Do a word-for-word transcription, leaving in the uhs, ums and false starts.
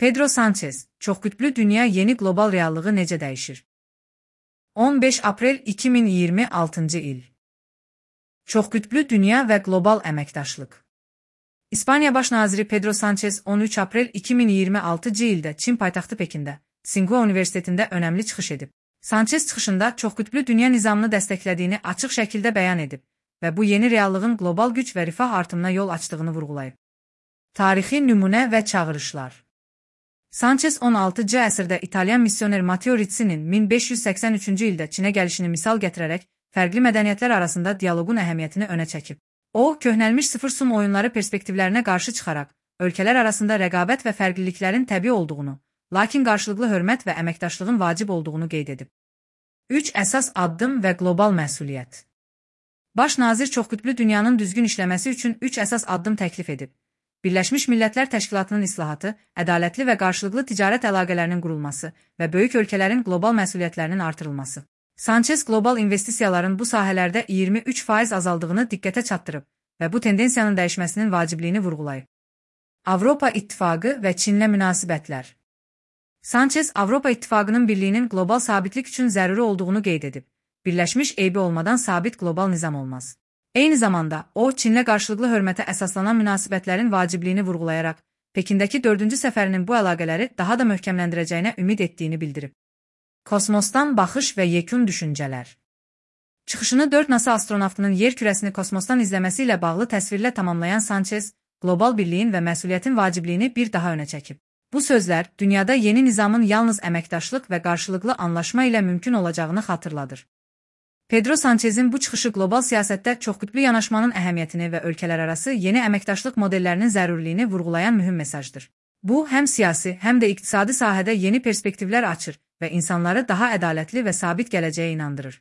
Pedro Sanchez, çoxqütblü dünya yeni qlobal reallığı necə dəyişir? on beş aprel iki min iyirmi altıncı il. Çoxqütblü dünya və qlobal əməkdaşlıq. İspaniya Baş naziri Pedro Sanchez on üç aprel iki min iyirmi altıncı ildə Çin paytaxtı Pekində, Tsinghua Universitetində önəmli çıxış edib. Sanchez çıxışında çoxqütblü dünya nizamını dəstəklədiyini açıq şəkildə bəyan edib və bu yeni reallığın qlobal güc və rifah artımına yol açdığını vurğulayıb. Tarixi nümunə və çağırışlar. Sanchez on altıncı əsrdə İtalyan missioner Matteo Rizzinin min beş yüz səksən üçüncü ildə Çinə gəlişini misal gətirərək fərqli mədəniyyətlər arasında dialoqun əhəmiyyətini önə çəkib. O, köhnəlmiş sıfır sum oyunları perspektivlərinə qarşı çıxaraq, ölkələr arasında rəqabət və fərqliliklərin təbii olduğunu, lakin qarşılıqlı hörmət və əməkdaşlığın vacib olduğunu qeyd edib. üç əsas addım və qlobal məsuliyyət. Baş nazir çoxqütblü dünyanın düzgün işləməsi üçün üç əsas addım təklif edib. Birləşmiş Millətlər Təşkilatının islahatı, ədalətli və qarşılıqlı ticarət əlaqələrinin qurulması və böyük ölkələrin qlobal məsuliyyətlərinin artırılması. Sanchez qlobal investisiyaların bu sahələrdə iyirmi üç faiz azaldığını diqqətə çatdırıb və bu tendensiyanın dəyişməsinin vacibliyini vurğulayıb. Avropa İttifaqı və Çinlə münasibətlər. Sanchez, Avropa İttifaqının birliyinin qlobal sabitlik üçün zəruri olduğunu qeyd edib. Birləşmiş eybi olmadan sabit qlobal nizam olmaz. Eyni zamanda, o, Çinlə qarşılıqlı hörmətə əsaslanan münasibətlərin vacibliyini vurğulayaraq, Pekindəki dördüncü səfərinin bu əlaqələri daha da möhkəmləndirəcəyinə ümid etdiyini bildirib. Kosmosdan baxış və yekun düşüncələr. Çıxışını dörd NASA astronavtının yer kürəsini kosmosdan izləməsi ilə bağlı təsvirlə tamamlayan Sanchez, qlobal birliyin və məsuliyyətin vacibliyini bir daha önə çəkib. Bu sözlər, dünyada yeni nizamın yalnız əməkdaşlıq və qarşılıqlı anlaşma ilə mümkün olacağını xatırladır. Pedro Sanchez'in bu çıxışı qlobal siyasətdə çoxqütblü yanaşmanın əhəmiyyətini və ölkələrarası yeni əməkdaşlıq modellərinin zəruriliyini vurğulayan mühüm mesajdır. Bu, həm siyasi, həm də iqtisadi sahədə yeni perspektivlər açır və insanları daha ədalətli və sabit gələcəyə inandırır.